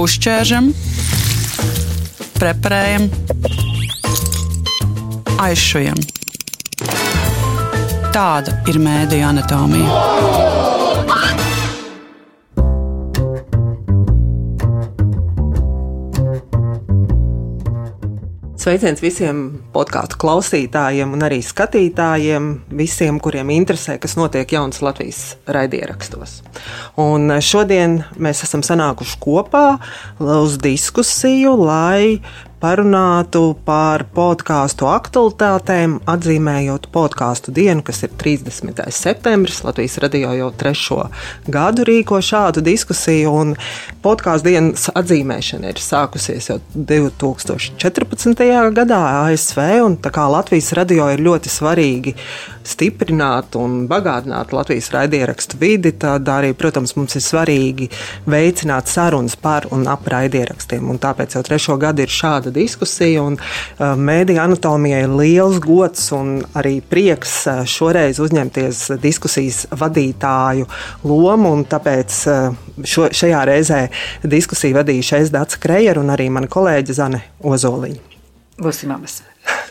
Uzķēršam, preparējam, aizšujam. Tāda ir mēdīju anatomija. Sveiciens visiem podkāstu klausītājiem un arī skatītājiem, visiem, kuriem interesē, kas notiek jaunas Latvijas raidierakstos. Un šodien mēs esam sanākuši kopā uz diskusiju, lai parunātu par podkāstu aktualitātēm, atzīmējot podkāstu dienu, kas ir 30. septembris. Latvijas radio jau 3. gadu rīko šādu diskusiju, un podkāstu dienas atzīmēšana ir sākusies jau 2014. gadā ASV, un tā kā Latvijas radio ir ļoti svarīgi stiprināt un bagātināt Latvijas raidierakstu vidi, tad arī, protams, mums ir svarīgi veicināt sarunas par un ap raidierakstiem, un tāpēc jau 3. gadu ir šāda diskusija, un mēdīju anatomijai ir liels gods un arī prieks šoreiz uzņemties diskusijas vadītāju lomu, un tāpēc šajā reizē diskusiju vadīšu es, Dace Krejer, un arī mana kolēģe Zane Ozoliņa. Būsim abas.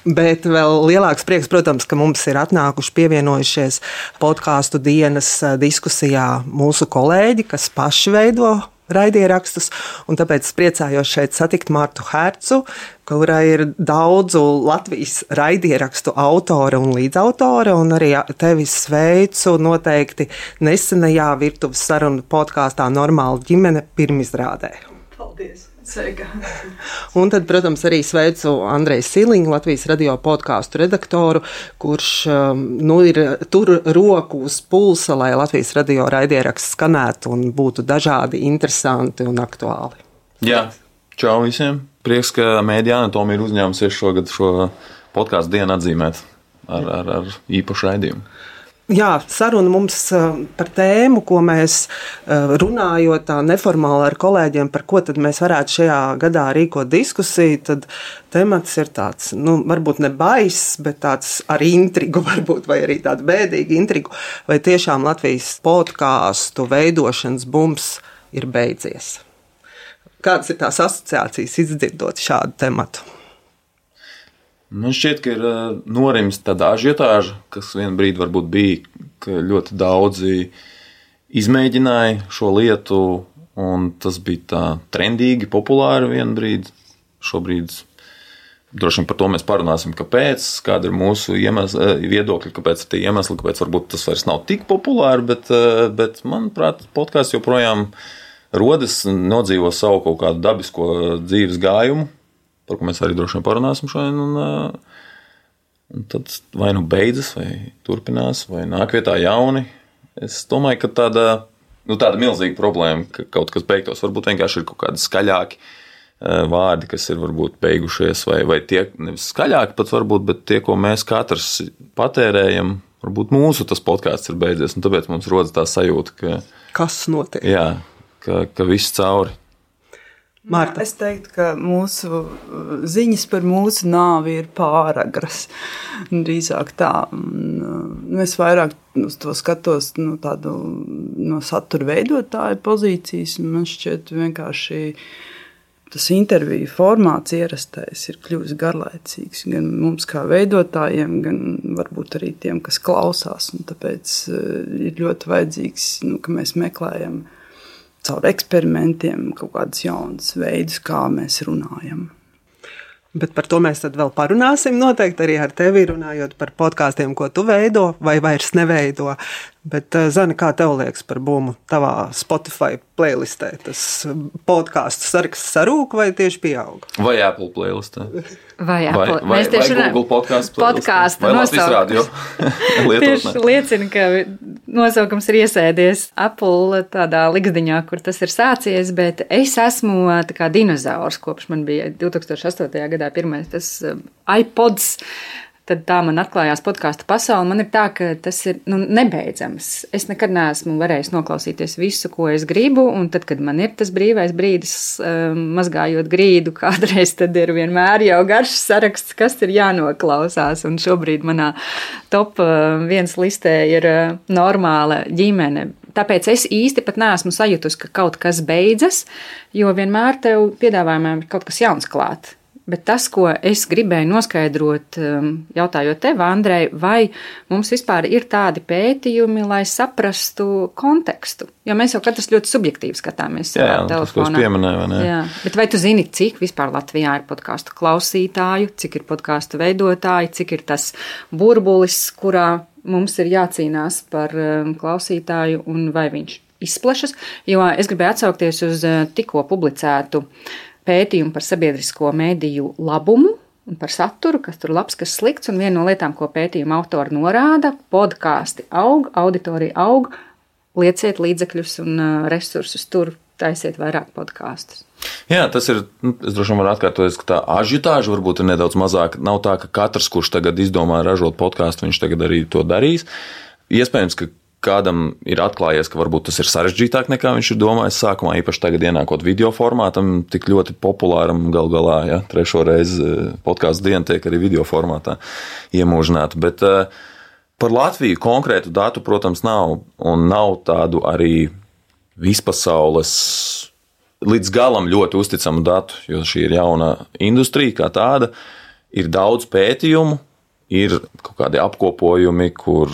Bet vēl lielāks prieks, protams, ka mums ir atnākuši pievienojušies podkāstu dienas diskusijā mūsu kolēģi, kas paši veido raidierakstus, un tāpēc es priecājos šeit satikt Martu Hercu, kurai ir daudzu Latvijas raidierakstu autore un līdzautore, un arī tevi sveicu noteikti nesenajā virtuves sarunu podkāstā Normāla ģimene pirmizrādē. Paldies! Sveika. Un tad, protams, arī sveicu Andreju Siliņu, Latvijas radio podkāstu redaktoru, kurš ir tur roku uz pulsa, lai Latvijas radio raidieraksts skanētu un būtu dažādi, interesanti un aktuāli. Jā, čau visiem. Prieks, ka mēdīju anatomija ir uzņēmusies šogad šo podkāstu dienu atzīmēt ar īpašu raidījumu. Jā, saruna mums par tēmu, ko mēs runājot tā neformāli ar kolēģiem, par ko tad mēs varētu šajā gadā rīkot diskusiju, tad temats ir tāds, varbūt ne baiss, bet tāds ar intrigu varbūt, vai arī tādu bēdīgu intrigu, vai tiešām Latvijas podkāstu veidošanas bums ir beidzies. Kādas ir tās asociācijas izdzirdot šādu tematu? Man šķiet, ka ir norimis tāda ažiotāža, kas vienu brīdi varbūt bija, ka ļoti daudzi izmēģināja šo lietu, un tas bija tā trendīgi, populāri vienu brīdi. Šobrīd droši vien par to mēs parunāsim, kāpēc, kāda ir mūsu viedokļi, kāpēc ir tie iemesli, kāpēc varbūt tas vairs nav tik populāri, bet manuprāt, podkāsts joprojām rodas, nodzīvo savu kaut kādu dabisko dzīves gājumu, par ko mēs arī droši vien parunāsim šodien, un tad vai nu beidzas, vai turpinās, vai nāk vietā jauni. Es domāju, ka tāda milzīga problēma, ka kaut kas beigtos, varbūt vienkārši ir kaut kādi skaļāki vārdi, kas ir varbūt beigušies, vai tie, nevis skaļāki pat varbūt, bet tie, ko mēs katrs patērējam, varbūt mūsu tas podkāsts ir beidzies, un tāpēc mums rodas tā sajūta, ka... Kas notiek? Jā, ka viss cauri. Marta. Es teiktu, ka mūsu ziņas par mūsu nāvi ir pāragras. Drīzāk tā. Es vairāk uz to skatos tādu no satura veidotāja pozīcijas. Man šķiet vienkārši tas interviju formāts ierastais ir kļuvis garlaicīgs. Gan mums kā veidotājiem, gan varbūt arī tiem, kas klausās. Un tāpēc ir ļoti vajadzīgs, ka mēs meklējam caur eksperimentiem kaut kādus jaunus veidus, kā mēs runājam. Bet par to mēs tad vēl parunāsim noteikti arī ar tevi, runājot par podkāstiem, ko tu veido vai vairs neveido. Bet, Zane, kā tev liekas par bumu tavā Spotify playlistē? Tas podkāstu saraksts sarūk vai tieši pieaug? Vai Apple playlistē? Vai Apple. Vai Google podkāstu podkāsta nosaukums. Tieši liecina, ka nosaukums ir iesēdies Apple tādā ligzdiņā, kur tas ir sācies, bet es esmu tā kā dinozaurs, kopš man bija 2008. gadā pirmais tas iPods. Tad tā man atklājās podkāstu pasaule. Man ir tā, ka tas ir nebeidzams. Es nekad neesmu varējis noklausīties visu, ko es gribu, un tad, kad man ir tas brīvais brīdis, mazgājot grīdu, kādreiz tad ir vienmēr jau garš saraksts, kas ir jānoklausās. Un šobrīd manā top 1 listē ir Normāla ģimene. tāpēc es īsti pat neesmu sajutusi, ka kaut kas beidzas, jo vienmēr tev piedāvājumā ir kaut kas jauns klāt. Bet tas, ko es gribēju noskaidrot, jautājot tev, Andrej, vai mums vispār ir tādi pētījumi, lai saprastu kontekstu? Jo mēs jau katrs ļoti subjektīvi skatāmies savā telefonā. Tas, ko es pieminēju, vai ne? Jā, bet vai tu zini, cik vispār Latvijā ir podkāstu klausītāju, cik ir podkāstu veidotāji, cik ir tas burbulis, kurā mums ir jācīnās par klausītāju un vai viņš izplešas? Jo es gribēju atsaukties uz tikko publicētu pētījumu par sabiedrisko mediju labumu un par saturu, kas tur labs, kas slikts, un viena no lietām, ko pētījuma autori norāda, podkāsti aug, auditorija aug, lieciet līdzekļus un resursus tur, taisiet vairāk podkāstus. Jā, tas ir, es droši vien varu atkārtoties, ka tā ažitāža varbūt ir nedaudz mazāka. Nav tā, ka katrs, kurš tagad izdomā ražot podkāstu, viņš tagad arī to darīs. Iespējams, ka kādam ir atklājies, ka varbūt tas ir sarežģītāk nekā viņš ir domājis sākumā, īpaši tagad ienākot video formātam, tik ļoti populāram gal galā, ja, 3. reizi podkāstu diena tiek arī video formātā iemūžināta. Bet par Latviju konkrētu datu, protams, nav, un nav tādu arī vispasaules līdz galam ļoti uzticamu datu, jo šī ir jauna industrija kā tāda, ir daudz pētījumu, ir kaut kādi apkopojumi, kur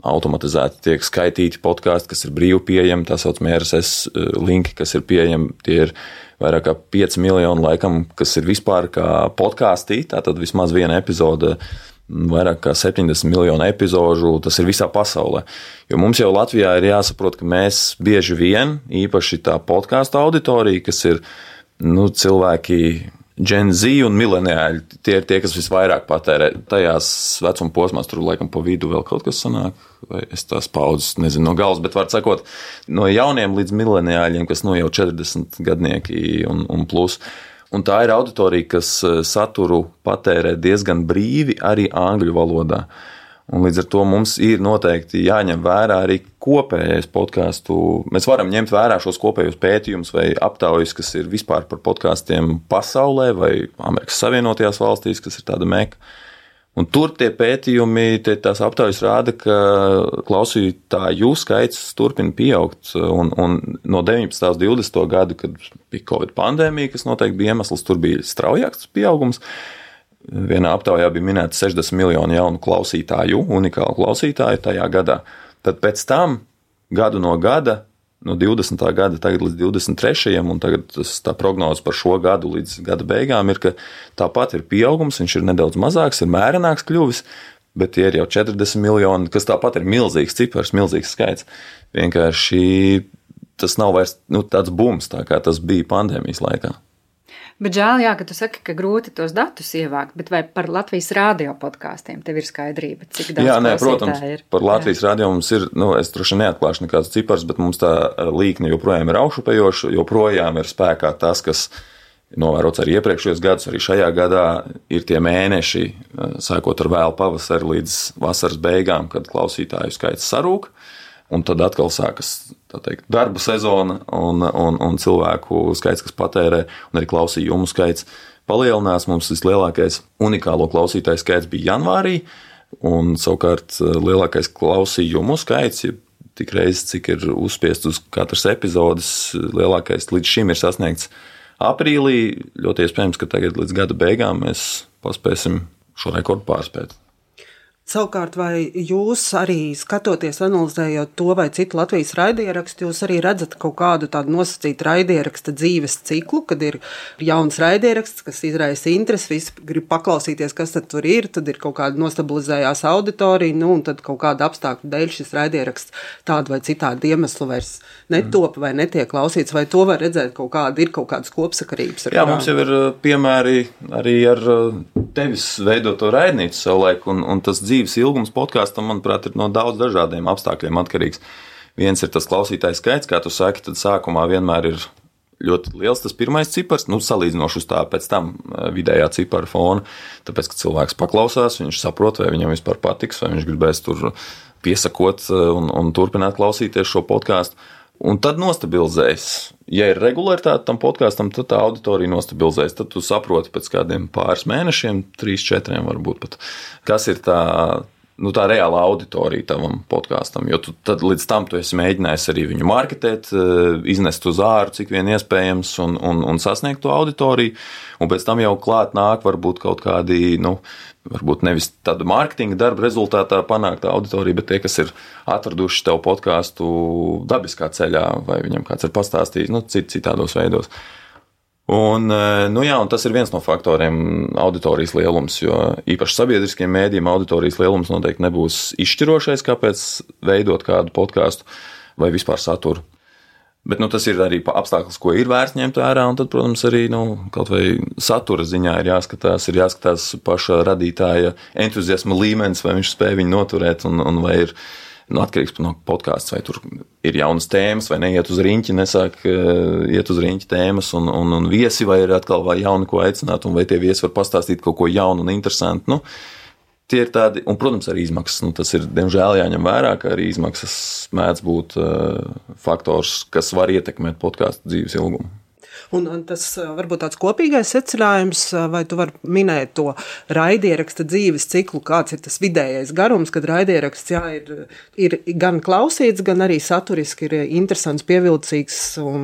automatizēti tiek skaitīti podkāsti, kas ir brīvi pieejami, tā saucamie RSS linki, kas ir pieejami, tie ir vairāk kā 5 miljoni laikam, kas ir vispār kā podkāstī, tātad vismaz viena epizode, vairāk kā 70 miljonu epizožu, tas ir visā pasaulē. Jo mums jau Latvijā ir jāsaprot, ka mēs bieži vien, īpaši tā podkāstu auditorija, kas ir cilvēki Gen Z un mileniāļi, tie ir tie, kas visvairāk patērē tajās vecuma posmās, tur laikam pa vidu vēl kaut kas sanāk, vai es tās paudzes nezinu no galvas, bet var sakot, no jauniem līdz mileniāļiem, kas jau 40 gadnieki un plus. Un tā ir auditorija, kas saturu patērē diezgan brīvi arī angļu valodā. Un līdz ar to mums ir noteikti jāņem vērā arī kopējais podkāstu. Mēs varam ņemt vērā šos kopējos pētījumus vai aptaujas, kas ir vispār par podkāstiem pasaulē vai Amerikas Savienotajās valstīs, kas ir tāda meka. Un tur tie pētījumi, tās aptaujas rāda, ka klausītāju skaits turpina pieaugt. Un no 19. līdz 20. gadu, kad bija Covid pandēmija, kas noteikti bija iemesls, tur bija straujāks pieaugums. Vienā aptaujā bija minēta 60 miljoni jaunu klausītāju, unikālu klausītāju tajā gadā. Tad pēc tam gadu no gada, no 20. gada tagad līdz 23. un tagad tā prognoze par šo gadu līdz gada beigām ir, ka tāpat ir pieaugums, viņš ir nedaudz mazāks, ir mērenāks kļuvis, bet tie ir jau 40 miljoni, kas tāpat ir milzīgs cipars, milzīgs skaits. Vienkārši tas nav vairs tāds bums, tā kā tas bija pandēmijas laikā. Bet žēl, jā, ka tu saki, ka grūti tos datus ievākt, bet vai par Latvijas radio podkāstiem tev ir skaidrība, cik daudz klausītāji ir? Par Latvijas radio mums ir, es droši neatklāšu nekāds cipars, bet mums tā līkne joprojām ir augšupējoša, joprojām ir spēkā tas, kas novērots arī iepriekšējos gadus, arī šajā gadā ir tie mēneši, sākot ar vēlu pavasari līdz vasaras beigām, kad klausītāju skaits sarūk. Un tad atkal sākas darba sezona un cilvēku skaits, kas patērē, un arī klausījumu skaits palielinās. Mums vislielākais unikālo klausītāju skaits bija janvārī, un savukārt lielākais klausījumu skaits, ja tik reizes, cik ir uzspiest uz katras epizodes, lielākais līdz šim ir sasniegts aprīlī. Ļoti iespējams, ka tagad līdz gada beigām mēs paspēsim šo rekordu pārspēt. Savukārt, vai jūs arī skatoties, analizējot to vai citu Latvijas raidierakstu, jūs arī redzat kaut kādu tādu nosacītu raidieraksta dzīves ciklu, kad ir jauns raidieraksts, kas izraisa interesi, visi grib paklausīties, kas tad ir kaut kāda nostabilizējās auditorija, un tad kaut kāda apstākļu dēļ šis raidieraksts tādu vai citādu iemeslu vairs netop vai netiek klausīts, vai to var redzēt ir kaut kādas kopsakarības? Jā, mums jau ir piemēri arī ar tevis veidoto raidnīcu savulaik, un tas dzīves ilgums podkāstam, manuprāt, ir no daudz dažādiem apstākļiem atkarīgs. Viens ir tas klausītājs skaits, kā tu saki, tad sākumā vienmēr ir ļoti liels tas pirmais cipars, salīdzinoši uz tā pēc tam vidējā cipara fona, tāpēc, ka cilvēks paklausās, viņš saprot, vai viņam vispār patiks, vai viņš gribēs tur piesakot un turpināt klausīties šo podkāstu. Un tad nostabilizējas. Ja ir regularitāte tam podkāstam, tad tā auditorija nostabilizējas. Tad tu saproti pēc kādiem pāris mēnešiem, 3-4 varbūt pat, kas ir tā tā reāla auditorija tavam podkāstam, jo tad līdz tam tu esi mēģinājis arī viņu marketēt, iznest uz āru, cik vien iespējams, un sasniegt to auditoriju, un pēc tam jau klāt nāk varbūt kaut kādi, varbūt nevis tāda mārketinga darba rezultātā panākt auditoriju, bet tie, kas ir atraduši tev podkāstu dabiskā ceļā, vai viņam kāds ir pastāstījis, citādos veidos. Un tas ir viens no faktoriem auditorijas lielums, jo īpaši sabiedriskiem mēdījiem auditorijas lielums noteikti nebūs izšķirošais, kāpēc veidot kādu podkāstu vai vispār saturu. Bet tas ir arī apstākļus, ko ir vērts ņemt vērā, un tad, protams, arī kaut vai satura ziņā ir jāskatās paša radītāja entuziasma līmenis, vai viņš spēj viņu noturēt, un vai ir atkarīgs no podkāsts, vai tur ir jaunas tēmas, vai neiet uz riņķi, nesāk iet uz riņķi tēmas, un viesi, vai ir atkal vai jauni, ko aicināt, un vai tie viesi var pastāstīt kaut ko jaunu un interesantu. Tie ir tādi, un, protams, arī izmaksas. Tas ir, diemžēl, jāņem vērā, ka arī izmaksas mēdz būt faktors, kas var ietekmēt podkāstu dzīves ilgumu. Un tas varbūt tāds kopīgais secinājums, vai tu vari minēt to raidieraksta dzīves ciklu, kāds ir tas vidējais garums, kad raidieraksts ir gan klausīts, gan arī saturiski ir interesants, pievilcīgs un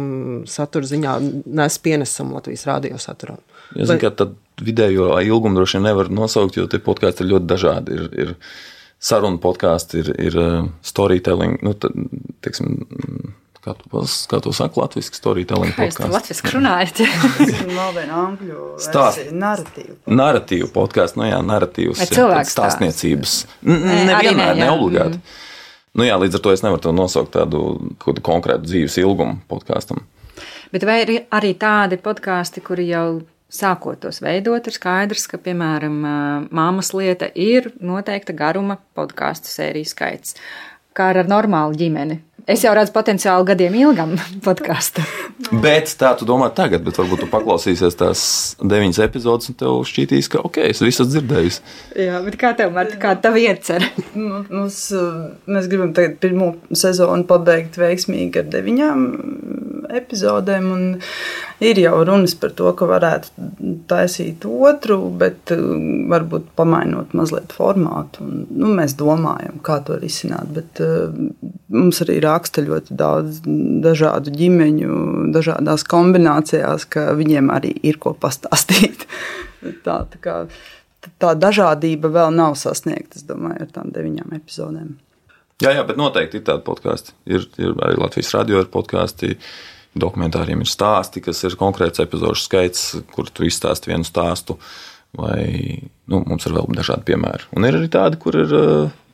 satura ziņā nes pienesumu Latvijas radio saturam. Ja zinu, ka tad vidējo ilgumu droši vien nevar nosaukt, jo tie podkāsti ir ļoti dažādi. Ir saruna podkāsti, ir storytelling, teiksim, kā to saka latviski storytelling podkāsts? Kā jūs latviski runājat? Vēl viena angļu versija, narratīvu. Narratīvu podkāsts, narratīvs, stāstniecības. Nevienmēr, ne obligāti. Līdz ar to es nevaru to nosaukt tādu konkrētu dzīves ilgumu podkāstam. Bet vai ir arī tādi podkāsti, kuri jau sākot tos veidot, ir skaidrs, ka, piemēram, Māmas lieta ir noteikta garuma podkāstu sēriju skaits, kā ar normālu ģimeni. Es jau redzu potenciālu gadiem ilgam podkāstu. Bet tā tu domā tagad, bet varbūt tu paklausīsies tās 9 epizodes un tev šķītīs, ka es visu dzirdējusi. Jā, bet kā tev, Marta, kā tavu iecer? Mēs gribam tagad pirmo sezonu pabeigt veiksmīgi ar 9 epizodēm, un ir jau runas par to, ka varētu taisīt otru, bet varbūt pamainot mazliet formātu. Un, mēs domājam, kā to risināt, bet mums arī raksta ļoti daudz dažādu ģimeņu, dažādās kombinācijās, ka viņiem arī ir ko pastāstīt. Tā dažādība vēl nav sasniegta, es domāju, ar tām 9 epizodēm. Jā, bet noteikti ir tādi podkāsti. Ir arī Latvijas radio ir podkāsti, dokumentāriem ir stāsti, kas ir konkrēts epizodu skaits, kur tu izstāsti vienu stāstu, vai mums ir vēl dažādi piemēri. Un ir arī tādi, kur ir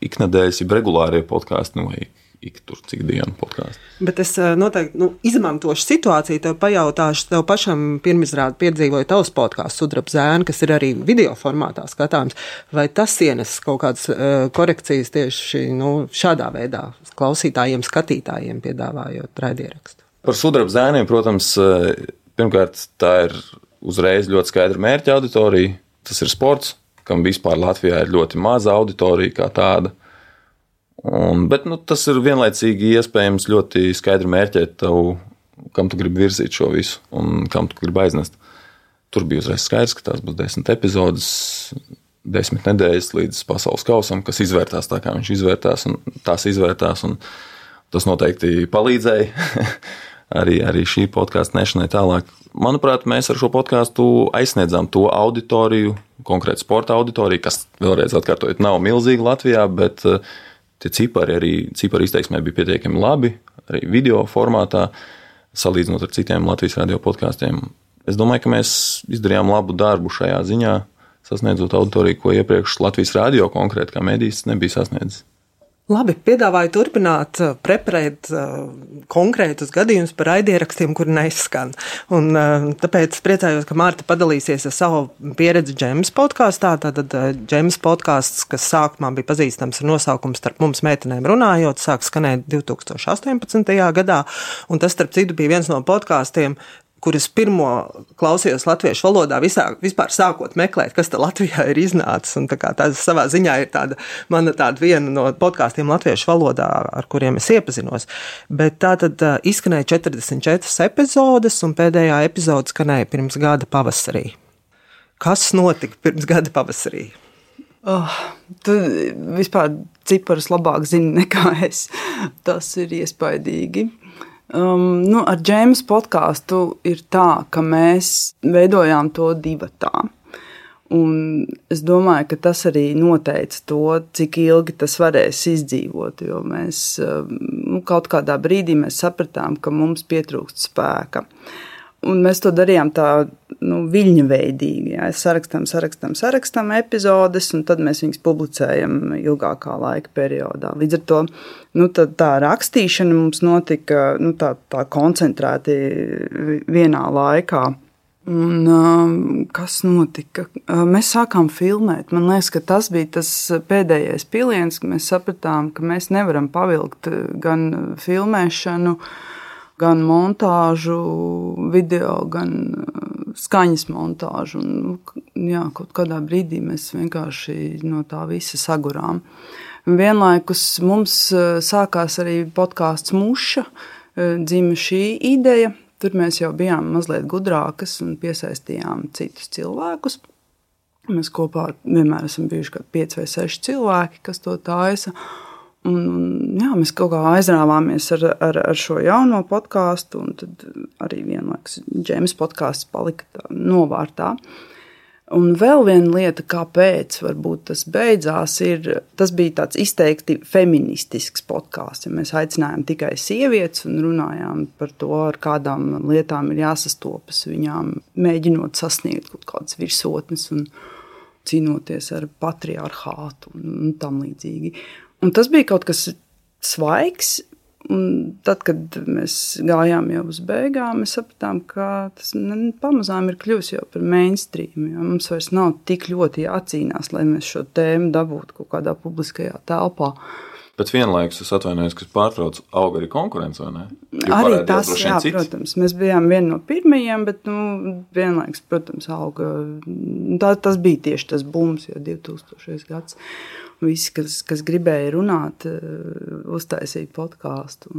iknedēļas, regulārie podkāsti, vai cik dienu podkāstu. Bet es noteikti izmantošu situāciju, tev pajautāšu, tev pašam pirmizrādi piedzīvoja tavs podkāsts Sudraba zēni, kas ir arī video formātā skatāms. Vai tas ienes kaut kādas korekcijas tieši šādā veidā klausītājiem, skatītājiem piedāvājot raidierakstu? Par Sudraba zēniem, protams, pirmkārt, tā ir uzreiz ļoti skaidra mērķa auditorija. Tas ir sports, kam vispār Latvijā ir ļoti maza auditorija kā tāda. Bet tas ir vienlaicīgi iespējams ļoti skaidri mērķēt tev, kam tu gribi virzīt šo visu un kam tu gribi aiznest. Tur bija uzreiz skaidrs, ka tās būs 10 epizodes, 10 nedēļas līdz pasaules kausam, kas izvērtās tā, kā viņš izvērtās, un tās izvērtās, un tas noteikti palīdzēja arī šī podkāsta nešanai tālāk. Manuprāt, mēs ar šo podkāstu aizsniedzām to auditoriju, konkrēti sporta auditoriju, kas vēlreiz atkārtojot nav milzīga Latvijā, bet tie ciparu izteiksmē bija pietiekami labi, arī video formātā, salīdzinot ar citiem Latvijas radio podkāstiem. Es domāju, ka mēs izdarījām labu darbu šajā ziņā, sasniedzot auditoriju, ko iepriekš Latvijas radio konkrēti kā medijs nebija sasniedzis. Labi, piedāvāju turpināt preparēt konkrētus gadījumus par raidierakstiem, kuri neskan. Un tāpēc priecājos, ka Marta padalīsies ar savu pieredzi Džemas podkāstā. Tātad Džemas podkāsts, kas sākumā bija pazīstams ar nosaukumu Starp mums meitenēm runājot, sāk skanēt 2018. gadā. Un tas, starp citu, bija viens no podkāstiem, kuras pirmo klausījos latviešu valodā vispār sākot meklēt, kas tā Latvijā ir iznācis. Un tā savā ziņā ir mana viena no podkāstiem latviešu valodā, ar kuriem es iepazinos. Bet tā tad izskanēja 44 epizodes, un pēdējā epizode skanēja pirms gada pavasarī. Kas notika pirms gada pavasarī? Tu vispār ciparus labāk zini nekā es. Tas ir iespaidīgi. Ar Džēmas podkāstu ir tā, ka mēs veidojām to divatā. Un es domāju, ka tas arī noteica to, cik ilgi tas varēs izdzīvot, jo mēs kaut kādā brīdī mēs sapratām, ka mums pietrūkst spēka. Un mēs to darījām tā viļņa veidīgi. Jā. Sarakstam epizodes, un tad mēs viņus publicējam ilgākā laika periodā. Līdz ar to tā rakstīšana mums notika tā koncentrēti vienā laikā. Un kas notika? Mēs sākām filmēt. Man liekas, ka tas bija tas pēdējais piliens, ka mēs sapratām, ka mēs nevaram pavilkt gan filmēšanu, gan montāžu, video, gan skaņas montāžu. Kaut kādā brīdī mēs vienkārši no tā visa sagurām. Vienlaikus mums sākās arī podkāsts Muša, dzima šī ideja. Tur mēs jau bijām mazliet gudrākas un piesaistījām citus cilvēkus. Mēs kopā vienmēr esam bijuši kā 5 vai 6 cilvēki, kas to taisa. Mēs kaut kā aizrāvāmies ar šo jauno podkāstu, un tad arī vienlaikus Džēmas podkāsts palika novārtā. Un vēl viena lieta, kāpēc varbūt tas beidzās, tas bija tāds izteikti feministisks podkāsts. Ja mēs aicinājām tikai sievietes un runājām par to, ar kādām lietām ir jāsastopas viņām, mēģinot sasniegt kaut kādas virsotnes un cīnoties ar patriarchātu un tam līdzīgi. Un tas bija kaut kas svaigs. Un tad, kad mēs gājām jau uz beigām, mēs sapratām, ka tas pamazām ir kļuvis jau par mainstream. Mums vairs nav tik ļoti jācīnās, lai mēs šo tēmu dabūtu kaut kādā publiskajā telpā. Bet vienlaikus es atvainojos, ka pārtrauc auga arī konkurence, vai ne? Arī tas, jā, protams. Mēs bijām vieni no pirmajiem, bet vienlaikus, protams, auga. Tas bija tieši tas bums, jo 2000. gads. Visi, kas gribēja runāt, uztaisīja podkāstu.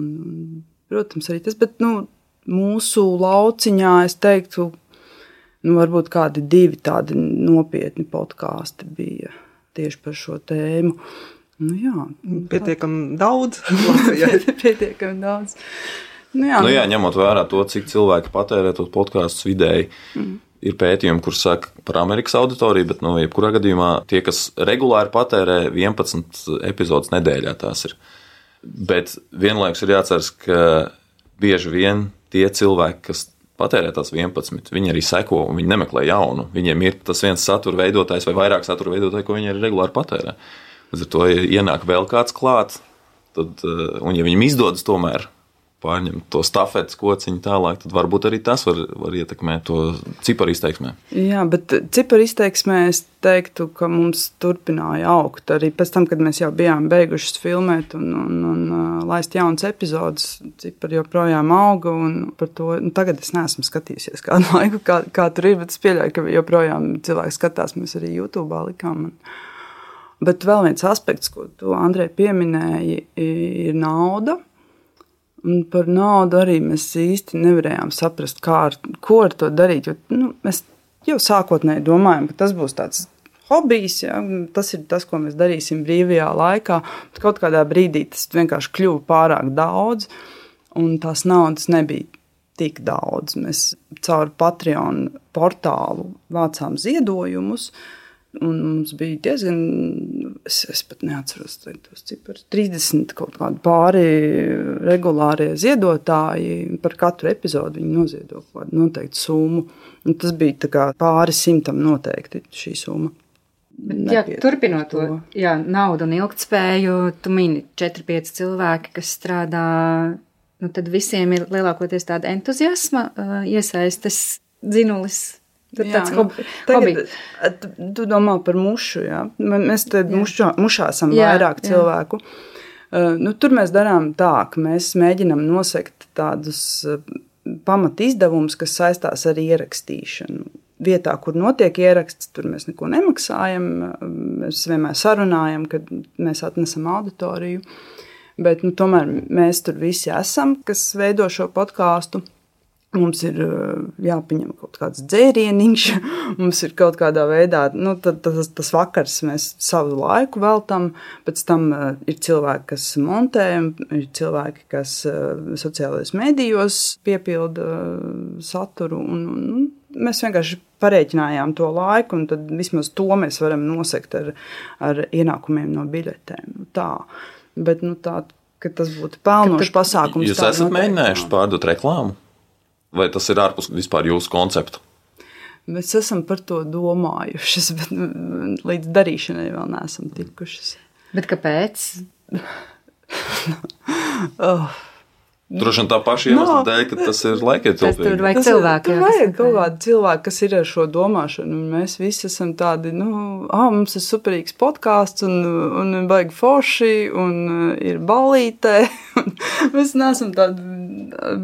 Protams, arī tas, bet mūsu lauciņā es teiktu, varbūt kādi 2 tādi nopietni podkāsti bija tieši par šo tēmu. Pietiekami daudz. Pietiekami daudz. Ņemot vērā to, cik cilvēki patērē tos podkāstus vidēji, ir pētījumi, kur saka par Amerikas auditoriju, bet jebkurā gadījumā tie, kas regulāri patērē 11 epizodes nedēļā, tās ir. Bet vienlaikus ir jāatceras, ka bieži vien tie cilvēki, kas patērē tās 11, viņi arī seko un viņi nemeklē jaunu. Viņiem ir tas viens satura veidotājs vai vairāk satura veidotāji, ko viņi arī regulāri patērē. Līdz ar to ienāk vēl kāds klāt, un ja viņam izdodas tomēr pārņemt to stafetes kociņu tālāk, tad varbūt arī tas var ietekmēt to ciparu izteiksmē. Jā, bet ciparu izteiksmē es teiktu, ka mums turpināja augt. Arī pēc tam, kad mēs jau bijām beigušas filmēt un laist jaunas epizodes, cipari joprojām auga, un par to tagad es neesmu skatījusies kādu laiku, kā tur ir, bet es pieļauju, ka joprojām cilvēki skatās, mēs arī YouTube'ā likām. Bet vēl viens aspekts, ko tu, Andrej, pieminēji, ir nauda. Un par naudu arī mēs īsti nevarējām saprast, ko ar to darīt. Jo, mēs jau sākotnēji domājam, ka tas būs tāds hobijs, ja? Tas ir tas, ko mēs darīsim brīvajā laikā. Bet kaut kādā brīdī tas vienkārši kļuva pārāk daudz, un tās naudas nebija tik daudz. Mēs caur Patreon portālu vācām ziedojumus, un mums bija diezgan, es pat neatceros tos ciparus, 30 kaut kādi pāri regulārie ziedotāji, par katru epizodu viņi noziedo kādu noteiktu summu. Un tas bija tā kā pāri 100 noteikti šī summa. Turpinot to, naudu un ilgtspēju, tu mini 4-5 cilvēki, kas strādā, tad visiem ir lielākoties tāda entuziasma, iesaistas dzinulis. Tur tāds hobi. Tu domā par mušu, jā? Mēs te mušā esam vairāk cilvēku. Tur mēs darām tā, ka mēs mēģinam nosekt tādus pamat izdevumus, kas saistās ar ierakstīšanu. Vietā, kur notiek ieraksts, tur mēs neko nemaksājam. Mēs vienmēr sarunājam, kad mēs atnesam auditoriju. Bet tomēr mēs tur visi esam, kas veido šo podkāstu. Mums ir jāpieņem kaut kāds dzērieniņš, mums ir kaut kādā veidā, tas vakars mēs savu laiku veltam, pēc tam ir cilvēki, kas montē, ir cilvēki, kas sociālajos medijos piepilda saturu, un mēs vienkārši parēķinājām to laiku, un tad vismaz to mēs varam nosekt ar ienākumiem no biļetēm. Tā, bet tā, ka tas būtu pelnošs pasākums. Jūs esat mēģinājuši pārdot reklāmu? Vai tas ir ārpus vispār jūsu konceptu? Mēs esam par to domājušas, bet līdz darīšanai vēl neesam tikušas. Bet kāpēc? Droši vien tā paša iemesla dēļ, ka tas ir laikietilpīgi. Tur vajag cilvēku. Tur vajag kaut kādu cilvēku, kas ir ar šo domāšanu. Un mēs visi esam tādi, mums ir superīgs podkāsts un baigi forši un ir ballītē. Mēs neesam tādi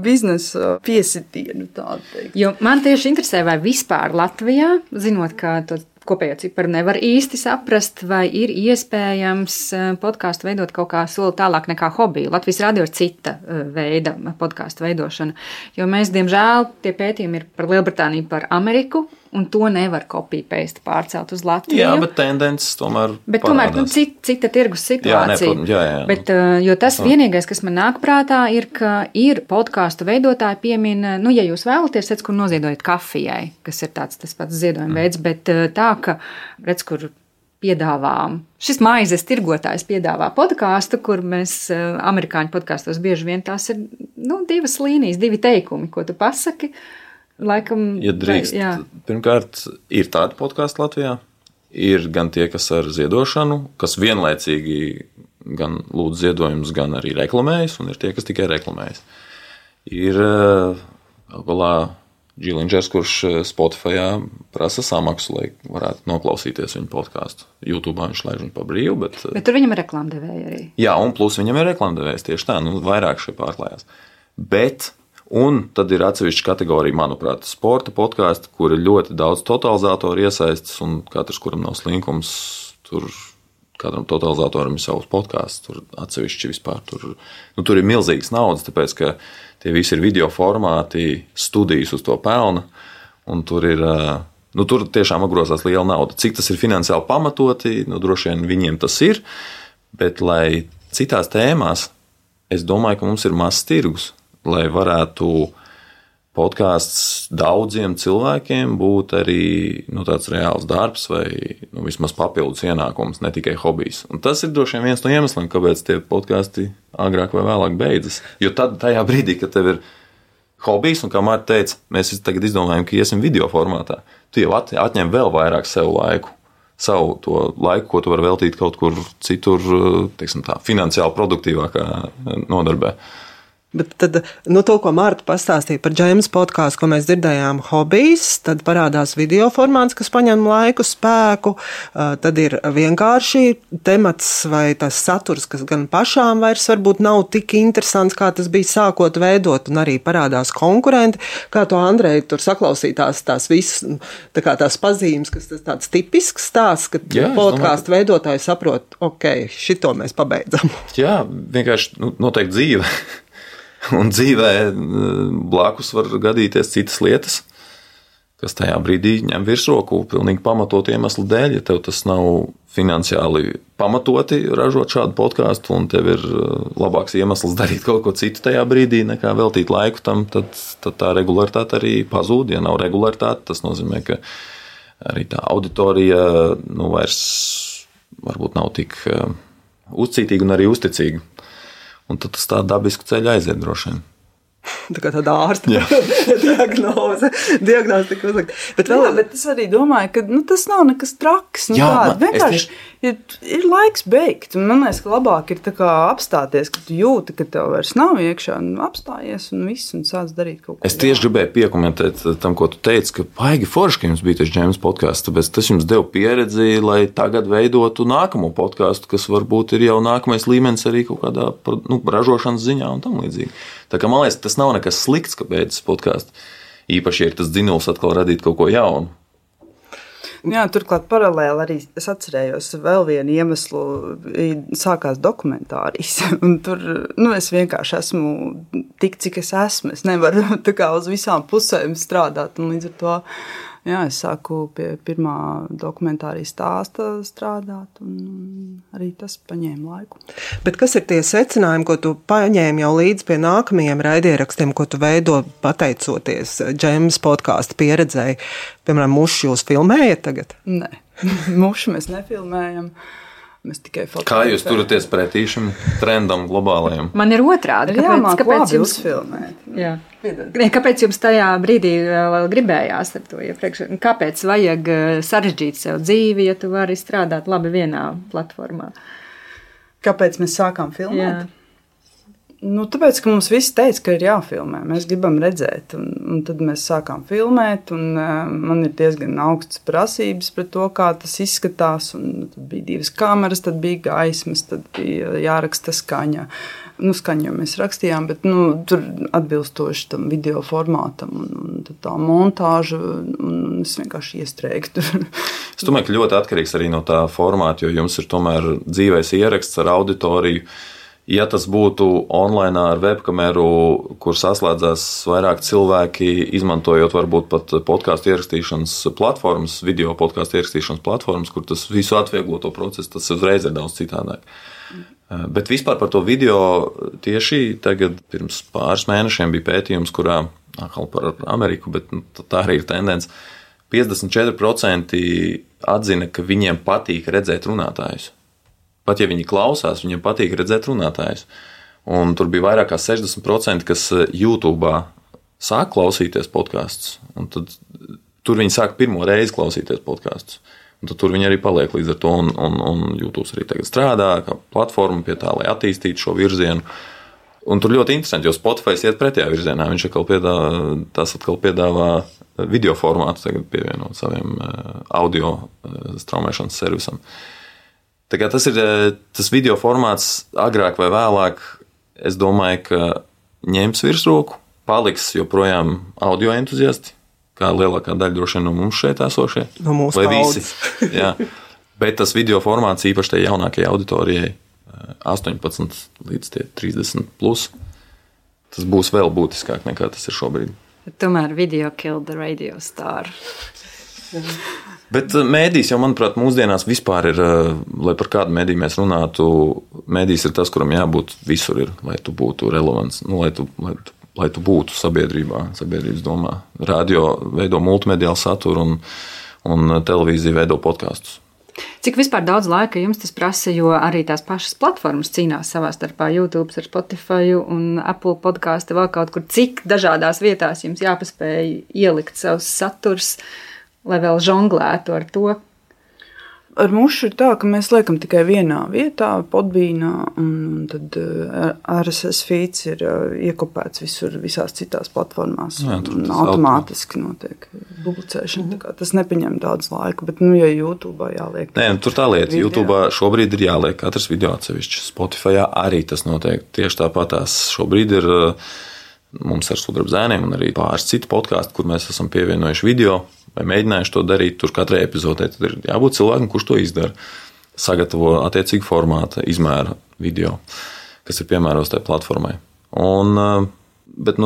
biznesa piesitienu, tādu teikt. Jo man tieši interesē, vai vispār Latvijā, zinot, ka kopējo ciparu nevar īsti saprast, vai ir iespējams podkāstu veidot kaut kā soli tālāk nekā hobiju. Latvijas radio ir cita veida podkāstu veidošana, jo mēs, diemžēl, tie pētījumi ir par Lielbritāniju, par Ameriku, un to nevar copy-paste pārcelt uz Latviju. Jā, bet tendences tomēr parādās. Cita tirgus situācija. Jā. Bet, jo tas vienīgais, kas man nāk prātā, ir, ka ir podkāstu veidotāji piemina, ja jūs vēlaties, kur noziedojat kafijai, kas ir tas pats ziedojuma veids, bet tā, ka, redz, kur piedāvā, šis maizes tirgotājs piedāvā podkāstu, kur mēs amerikāņu podkāstos bieži vien tās ir, divas līnijas, divi teikumi, ko tu pasaki. Laikam, ja drīkst, pirmkārt, ir tādi podkāsti Latvijā, ir gan tie, kas ar ziedošanu, kas vienlaicīgi gan lūdz ziedojumus, gan arī reklamējas, un ir tie, kas tikai reklamējas. Ir galā Džilindžers, kurš Spotifyā prasa samaksu, lai varētu noklausīties viņu podkāstu. YouTube viņš laiž viņu pa brīvu, bet tur viņam ir reklāmdevēji arī. Jā, un plus viņam ir reklāmdevējs, tieši tā, vairāk šeit pārklājās. Un tad ir atsevišķa kategorija, manuprāt, sporta podkāsti, kur ir ļoti daudz totalizatoru iesaistas, un katrs, kuram nav slinkums, tur katram totalizatoram ir savs podkāsts, tur atsevišķi vispār. Tur ir milzīgas naudas, tāpēc, ka tie visi ir video formāti, studijas uz to pelna, un tur ir, tur tiešām apgrozās liela nauda. Cik tas ir finansiāli pamatoti, droši vien viņiem tas ir, bet lai citās tēmās, es domāju, ka mums ir mazs tirgus, lai varētu podkāsts daudziem cilvēkiem būt arī tāds reāls darbs vai vismaz papildus ienākums, ne tikai hobijs. Un tas ir droši vien viens no iemesliem, kāpēc tie podkāsti agrāk vai vēlāk beidzas. Jo tad tajā brīdī, kad tev ir hobijs, un kā Marta teica, mēs tagad izdomājam, ka iesim video formātā, tu jau atņem vēl vairāk sev laiku. Savu to laiku, ko tu vari veltīt kaut kur citur, teiksim tā, finansiāli produktīvākā nodarbē. Bet tad, to, ko Marta pastāstīja par Džeimas podkāstu, ko mēs dzirdējām, hobijs, tad parādās video formāts, kas paņem laiku, spēku, tad ir vienkārši temats vai tas saturs, kas gan pašām vairs varbūt nav tik interesants, kā tas bija sākot veidot, un arī parādās konkurenti, kā to Andreja tur saklausītās tās visas, tās pazīmes, kas tas tāds tipisks stāsts, ka podkāstu veidotāji saprot, šito mēs pabeidzam. Jā, vienkārši noteikti dzīve. Un dzīvē blakus var gadīties citas lietas, kas tajā brīdī ņem virsroku pilnīgi pamatot iemeslu dēļ. Ja tev tas nav finansiāli pamatoti ražot šādu podkāstu un tev ir labāks iemesls darīt kaut ko citu tajā brīdī, nekā veltīt laiku tam, tad tā regularitāte arī pazūd. Ja nav regularitāte, tas nozīmē, ka arī tā auditorija vairs varbūt nav tik uzcītīga un arī uzticīga. Un tad tas tā dabisku ceļu aiziet droši vien. Tā kā tāda ārsta diagnoze tika uzlikta. Bet es arī domāju, ka tas nav nekas traks. Vienkārši ir laiks beigt. Un man liekas, ka labāk ir tā kā apstāties, ka tu jūti, ka tev vairs nav iekšā, un apstājies un viss, un sāc darīt kaut ko. Es tieši gribēju piekomentēt tam, ko tu teici, ka baigi forši, ka jums bija tas Džeimas podkāsts, tāpēc tas jums deva pieredzi, lai tagad veidotu nākamo podkāstu, kas varbūt ir jau nākamais līmenis arī kaut kādā ražošanas ziņā un tam līdzīgi. Tā kā man liekas, tas nav nekas slikts, ka beidzas podkāsts. Īpaši ir tas dzinuls atkal radīt kaut ko jaunu. Jā, turklāt paralēli arī es atcerējos vēl vienu iemeslu, sākās dokumentārijas, un tur, es vienkārši esmu tik, cik es esmu, es nevaru tā kā uz visām pusēm strādāt, un līdz ar to, jā, es sāku pie pirmā dokumentārijas stāsta strādāt, un arī tas paņēma laiku. Bet kas ir tie secinājumi, ko tu paņēmi jau līdz pie nākamajiem raidierakstiem, ko tu veido pateicoties Džemas podkāstu pieredzēji? Piemēram, mušu jūs filmējat tagad? Nē, mušu mēs nefilmējam. Mēs tikai fotografējam. Kā jūs turaties pretī šim trendam globālajam? Man ir otrādi. Kāpēc jums filmēt? Jā. Kāpēc jums tajā brīdī vēl gribējās ar to iepriekš? Kāpēc vajag sarežģīt sev dzīvi, ja tu vari strādāt labi vienā platformā? Kāpēc mēs sākām filmēt? Jā. Tāpēc, ka mums visi teica, ka ir jāfilmē. Mēs gribam redzēt, un tad mēs sākām filmēt, un man ir diezgan augstas prasības pret to, kā tas izskatās, un tad bija 2 kameras, tad bija gaismas, tad bija jāraksta skaņa. Skaņu jau mēs rakstījām, bet tur atbilstoši tam video formātam, un tad tā montāža, un es vienkārši iestrēgu tur. Es domāju, ka ļoti atkarīgs arī no tā formāta, jo jums ir tomēr dzīvais ieraksts ar auditoriju. Ja tas būtu online ar webkameru, kur saslēdzās vairāk cilvēki, izmantojot varbūt pat podkāstu ierakstīšanas platformas, video podkāstu ierakstīšanas platformas, kur tas visu atvieglo to procesu, tas uzreiz ir daudz citādāk. Bet vispār par to video tieši tagad pirms pāris mēnešiem bija pētījums, kurā, atkal par Ameriku, bet tā arī ir tendence, 54% atzina, ka viņiem patīk redzēt runātājus. Pat ja viņi klausās, viņiem patīk redzēt runātājus. Un tur bija vairāk kā 60%, kas YouTube sāk klausīties podkastus. Un tad tur viņi sāk pirmo reizi klausīties podkastus. Un tad tur viņi arī paliek līdz ar to. Un YouTube arī tagad strādā kā platforma pie tā, lai attīstītu šo virzienu. Un tur ļoti interesanti, jo Spotify iet pretējā virzienā. Viņš atkal piedāvā video formātu tagad pievienot saviem audio straumēšanas servisam. Tā kā tas ir tas video formāts agrāk vai vēlāk, es domāju, ka ņems virsroku, paliks joprojām audio entuziasti, kā lielākā daļa droši vien no mums šeit esošie. No mūsu paudzes. Jā. Bet tas video formāts īpaši tai jaunākajai auditorijai 18 līdz 30 plus, tas būs vēl būtiskāk nekā tas ir šobrīd. Tomēr video killed the radio star. Bet mēdījis jau, manuprāt, mūsdienās vispār ir, lai par kādu mēdīju mēs runātu, mēdījis ir tas, kuram jābūt visur ir, lai tu būtu relevants, lai tu būtu sabiedrības domā. Radio veido multimediālu saturu un televīzija veido podkastus. Cik vispār daudz laika jums tas prasa, jo arī tās pašas platformas cīnās savā starpā, YouTube ar Spotify un Apple podcastu vēl kaut kur, cik dažādās vietās jums jāpaspēj ielikt savus saturs, lai vēl žonglētu ar to? Ar mušu ir tā, ka mēs liekam tikai vienā vietā, Podbeanā, un tad RSS feeds ir iekopēts visās citās platformās. Jā, un automātiski notiek publicēšana. Tas nepaņem daudz laika, bet, ja YouTube jāliek. Nē, tur tā lieta. YouTube šobrīd ir jāliek katrs video atsevišķi. Spotify arī tas notiek. Tieši tāpatās šobrīd ir mums ar Sudraba zēniem un arī pāris citu podkāstu, kur mēs esam pievienojuši video vai mēģinājuši to darīt. Tur katrai epizodē tad ir jābūt cilvēkam, kurš to izdara. Sagatavo attiecīgu formātu, izmēra video, kas ir piemērots tai platformai. Bet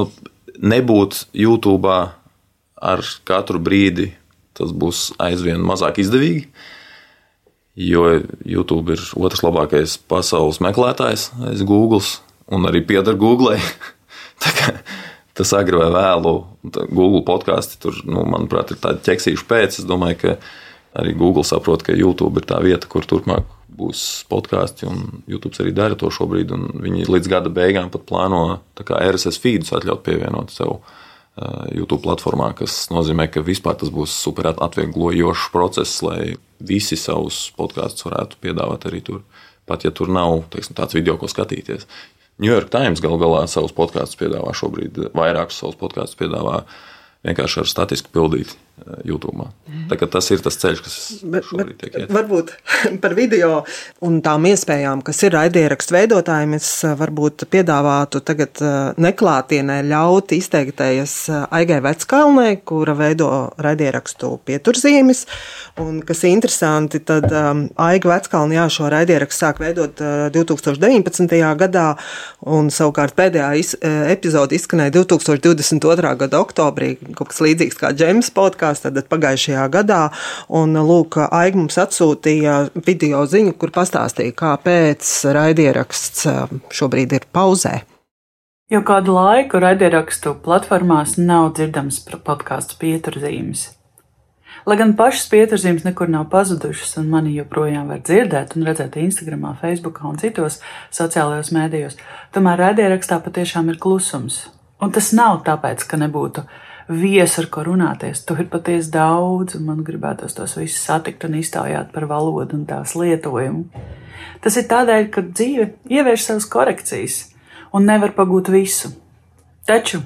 nebūt YouTube ar katru brīdi, tas būs aizvien mazāk izdevīgi, jo YouTube ir otrs labākais pasaules meklētājs aiz Google un arī pieder Google. Tā kā tas agri vai vēlu, Google podkāsti tur, manuprāt, ir tādi ķeksīši pēc. Es domāju, ka arī Google saprot, ka YouTube ir tā vieta, kur turpmāk būs podkāsti, un YouTube arī dara to šobrīd, un viņi līdz gada beigām pat plāno tā kā RSS feedus atļaut pievienot sev YouTube platformā, kas nozīmē, ka vispār tas būs super atvieglojošs process, lai visi savus podkāstus varētu piedāvāt arī tur, pat ja tur nav, tāds video, ko skatīties. New York Times galu galā savus podkāstus piedāvā šobrīd, vairākus savus podkāstus piedāvā vienkārši ar statisku pildīti. YouTube. Tā kā tas ir tas ceļš, kas šobrīd tiek iet. Varbūt par video un tām iespējām, kas ir raidierakstu veidotājiem, es varbūt piedāvātu tagad neklātienē ļaut izteikties Aigai Veckalnei, kura veido raidierakstu Pieturzīmes. Un, kas interesanti, tad Aiga Veckalne šo raidierakstu sāk veidot 2019. gadā, un savukārt pēdējā epizode izskanēja 2022. gada oktobrī, kaut kas līdzīgs kā Džems podkāsts, tad pagājušajā gadā, un lūk, Aiga mums atsūtīja video ziņu, kur pastāstīja, kāpēc raidieraksts šobrīd ir pauzē. Jau kādu laiku raidierakstu platformās nav dzirdams podkāstu Pieturzīmes. Lai gan pašas pieturzīmes nekur nav pazudušas, un mani joprojām var dzirdēt un redzēt Instagramā, Facebookā un citos sociālajos mēdījos, tomēr raidierakstā patiešām ir klusums. Un tas nav tāpēc, ka nebūtu viesu, ar ko runāties. To ir patiesi daudz, un man gribētos tos visus satikt un iztaujāt par valodu un tās lietojumu. Tas ir tādēļ, ka dzīve ievieš savas korekcijas un nevar pagūt visu. Taču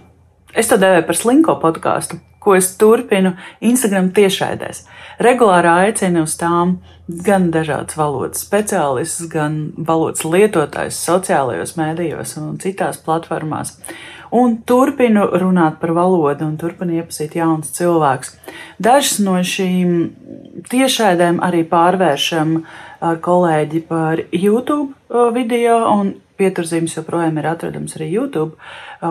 es to devēju par slinko podkāstu, ko es turpinu Instagram tiešraidēs. Regulāri aicinu uz tām gan dažādas valodas speciālistus, gan valodas lietotājus sociālajos mēdījos un citās platformās. Un turpinu runāt par valodu un turpinu iepazīt jaunus cilvēkus. Dažas no šīm tiešraidēm arī pārvēršam ar kolēģi par YouTube video, un Pieturzīmes joprojām ir atradams arī YouTube,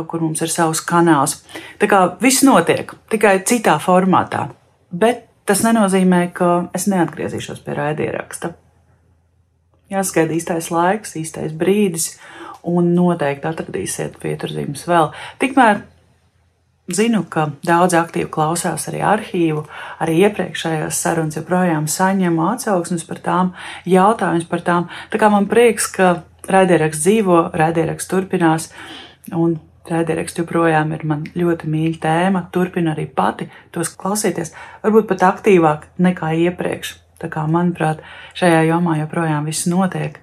kur mums ir savs kanāls. Tā kā viss notiek, tikai citā formātā. Bet tas nenozīmē, ka es neatgriezīšos pie raidieraksta. Jāsagaida īstais laiks, īstais brīdis, un noteikti atradīsiet Pieturzīmes vēl. Tikmēr zinu, ka daudz aktīvi klausās arī arhīvu, arī iepriekšējās sarunas joprojām saņemu atsauksmes par tām, jautājumus par tām. Tā kā man prieks, ka raidieraksts dzīvo, raidieraksts turpinās, un raidieraksts joprojām ir man ļoti mīļa tēma. Turpinu arī pati tos klausīties, varbūt pat aktīvāk nekā iepriekš. Tā kā, manuprāt, šajā jomā joprojām viss notiek,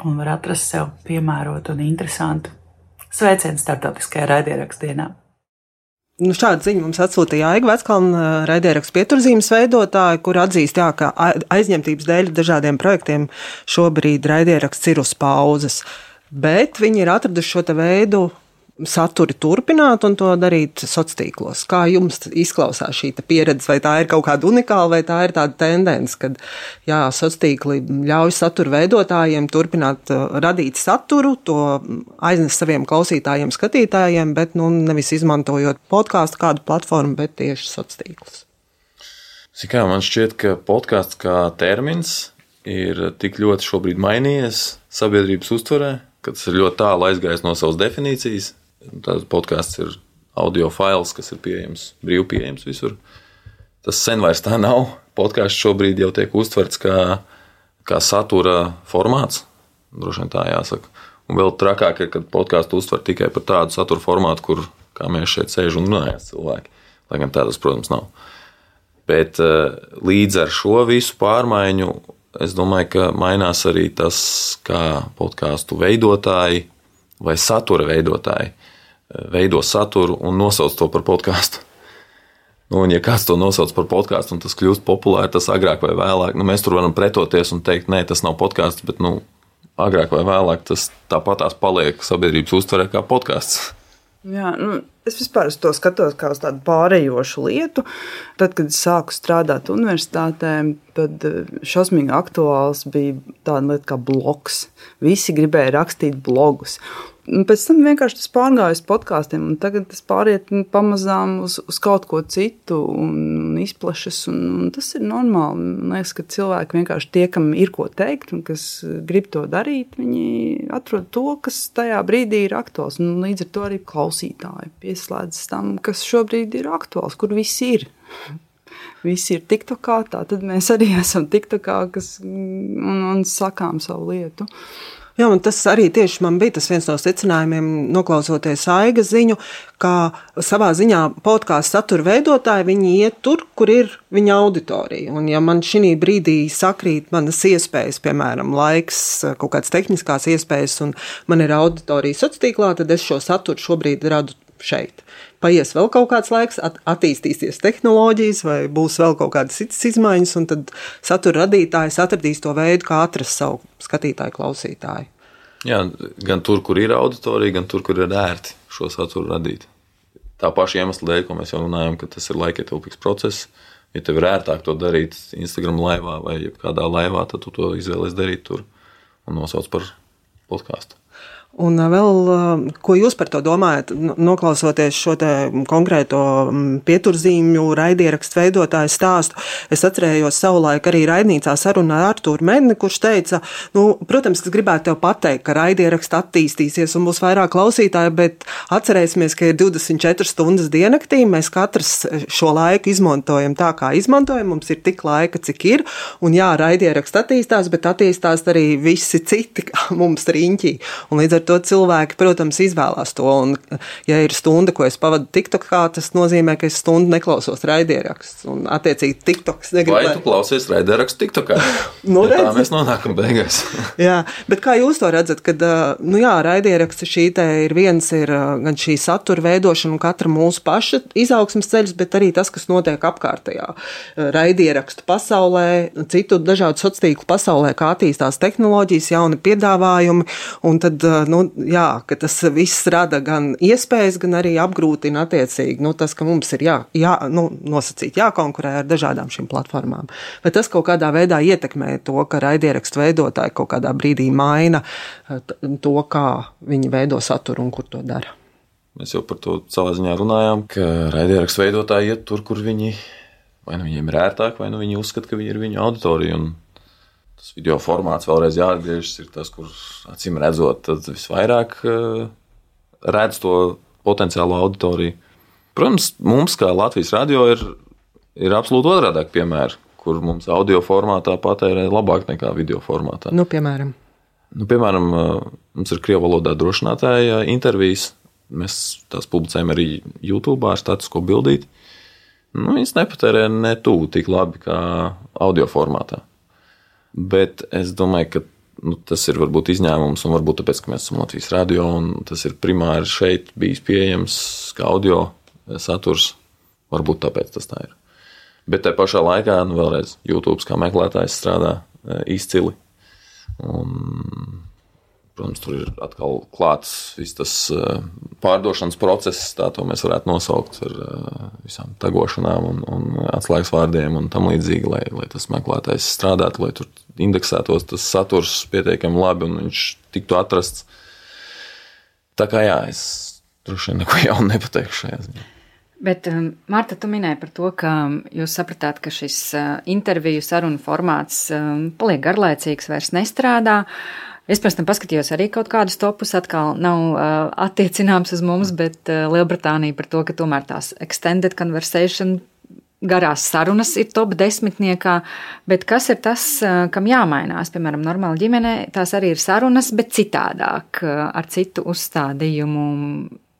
un var atrast sev piemērotu un interesantu sveicienu starptautiskajā raidierakstu dienā. Šādu ziņu mums atsūtīja Aiga Veckalne, raidierakstu Pieturzīmes veidotāja, kur atzīst, ka aizņemtības dēļ dažādiem projektiem šobrīd raidieraksts ir uz pauzes. Bet viņi ir atraduši šo veidu saturi turpināt un to darīt sociālos tīklos. Kā jums izklausās šī pieredze? Vai tā ir kaut kāda unikāla, vai tā ir tāda tendence, kad sociālos tīkli ļauj satura veidotājiem turpināt radīt saturu, to aiznes saviem klausītājiem, skatītājiem, bet nevis izmantojot podkāstu kādu platformu, bet tieši sociālos tīklus? Man šķiet, ka podkāsts kā termins ir tik ļoti šobrīd mainījies sabiedrības uztverē, ka tas ir ļoti tālu aizgājis no savas definīcijas. Tāds podkāsts ir audio fails, kas ir pieejams, brīvi pieejams visur. Tas sen vairs tā nav. Podkāsts šobrīd jau tiek uztverts kā satura formāts. Droši vien tā jāsaka. Un vēl trakāk ir, kad podkāstu uztver tikai par tādu satura formātu, kur, kā mēs šeit sēžam un runājam cilvēki. Lai gan tādas, protams, nav. Bet līdz ar šo visu pārmaiņu, es domāju, ka mainās arī tas, kā podkāstu veidotāji vai satura veidotāji veido saturu un nosauc to par podkāstu. Un ja kāds to nosauc par podkāstu un tas kļūst populāri, tas agrāk vai vēlāk, mēs tur varam pretoties un teikt, nē, tas nav podkāsts, bet agrāk vai vēlāk tas tāpatās paliek sabiedrības uztverē kā podkāsts. Jā, es vispār uz to skatos kā uz tādu pārējošu lietu. Tad, kad es sāku strādāt universitātē, tad šausmīgi aktuāls bija tāda lieta kā blogs. Visi gribēja rakstīt blogus. Un pēc tam vienkārši tas pārgāja uz podkāstiem, un tagad tas pāriet pamazām uz kaut ko citu un izplešas, un tas ir normāli. Man liekas, ka cilvēki vienkārši tie, kam ir ko teikt un kas grib to darīt, viņi atrod to, kas tajā brīdī ir aktuāls, un līdz ar to arī klausītāji pieslēdzas tam, kas šobrīd ir aktuāls, kur visi ir. Visi ir TikTokā, tā tad mēs arī esam TikTokā, un sakām savu lietu. Jā, un tas arī tieši man bija tas viens no secinājumiem, noklausoties Aigas ziņu, ka savā ziņā podkāstu satura veidotāji, viņi iet tur, kur ir viņa auditorija. Un ja man šī brīdī sakrīt manas iespējas, piemēram, laiks, kaut kādas tehniskās iespējas, un man ir auditorija sociālā tīklā, tad es šo saturu šobrīd radu šeit. paies vēl kaut kāds laiks, attīstīsies tehnoloģijas vai būs vēl kaut kādas citas izmaiņas, un tad satura radītājs atradīs to veidu, kā atrast savu skatītāju, klausītāju. Jā, gan tur, kur ir auditorija, gan tur, kur ir ērti šo saturu radīt. Tā paša iemesla dēļ, ko mēs jau runājam, ka tas ir laikietilpīgs process. Ja tev ir ērtāk to darīt Instagram laivā vai kādā laivā, tad tu to izvēlies darīt tur un nosauc par podcastu. Un vēl, ko jūs par to domājat, noklausoties šo te konkrēto pieturzīmju raidierakstu veidotāju stāstu? Es atcerējos savulaik arī raidnīcā sarunā ar Artūru Medni, kurš teica, protams, es gribētu tev pateikt, ka raidieraksts attīstīsies un būs vairāk klausītāji, bet atcerēsimies, ka ir 24 stundas diennaktī, mēs katrs šo laiku izmantojam tā, kā izmantojam, mums ir tik laika, cik ir, un jā, raidieraksts attīstās, bet attīstās arī visi citi, kā mums riņķī. Un līdz ar to cilvēki, protams, izvēlās to, un ja ir stunda, ko es pavadu TikTokā, tas nozīmē, ka es stundu neklausos raidieraksts, un attiecīgi TikToks negribētu. Vai tu klausies raidierakstu TikTokā? Tā mēs nonākam beigās. Jā, bet kā jūs to redzat, kad, raidieraksts šī te ir viens, ir gan šī satura veidošana un katra mūsu paša izaugsmes ceļus, bet arī tas, kas notiek apkārtējā raidierakstu pasaulē, citu dažādu sociālu pasaulē, kā attīstās tehnoloģijas, jauni piedāvājumi, un tad ka tas viss rada gan iespējas, gan arī apgrūtina attiecīgi, tas, ka mums ir nosacīt jākonkurē ar dažādām šīm platformām. Bet tas kaut kādā veidā ietekmē to, ka raidierakstu veidotāji kaut kādā brīdī maina to, kā viņi veido saturu un kur to dara. Mēs jau par to savā ziņā runājām, ka raidierakstu veidotāji iet tur, kur viņi, vai nu viņiem ir ērtāk, vai nu viņi uzskata, ka viņi ir viņu auditorija, un tas video formāts vēlreiz jāatgriežas, ir tas, kur acīm redzot, tad visvairāk redz to potenciālo auditoriju. Protams, mums, kā Latvijas radio, ir absolūti otrādāk piemēri, kur mums audio formātā patērē labāk nekā video formātā. Piemēram, mums ir krievu valodā drošinātāja intervijas, mēs tās publicējam arī YouTube ar statisko bildīti. Viņas nepatērē ne tuvu tik labi kā audio formātā. Bet es domāju, ka tas ir varbūt izņēmums, un varbūt tāpēc, ka mēs esam Latvijas radio, un tas ir primāri šeit bijis pieejams kā audio saturs. Varbūt tāpēc tas tā ir. Bet tajā pašā laikā, vēlreiz, YouTube kā meklētājs strādā izcili. Un, protams, tur ir atkal klāts viss tas pārdošanas process, tā to mēs varētu nosaukt ar visām tagošanām un atslēgas vārdiem un tam līdzīgi, lai tas meklētājs strādātu, lai tur indeksētos tas saturs pietiekami labi un viņš tiktu atrasts. Tā kā jā, es droši vien neko jaunu nepateikšu šajā ziņā. Bet, Marta, tu minēji par to, ka jūs sapratāt, ka šis interviju sarunu formāts paliek garlaicīgs, vairs nestrādā. Es pēc tam paskatījos arī kaut kādus topus, atkal nav attiecināms uz mums, bet Lielbritānija par to, ka tomēr tās extended conversation garās sarunas ir top 10. Bet kas ir tas, kam jāmainās? Piemēram, normāli ģimenē tās arī ir sarunas, bet citādāk, ar citu uzstādījumu.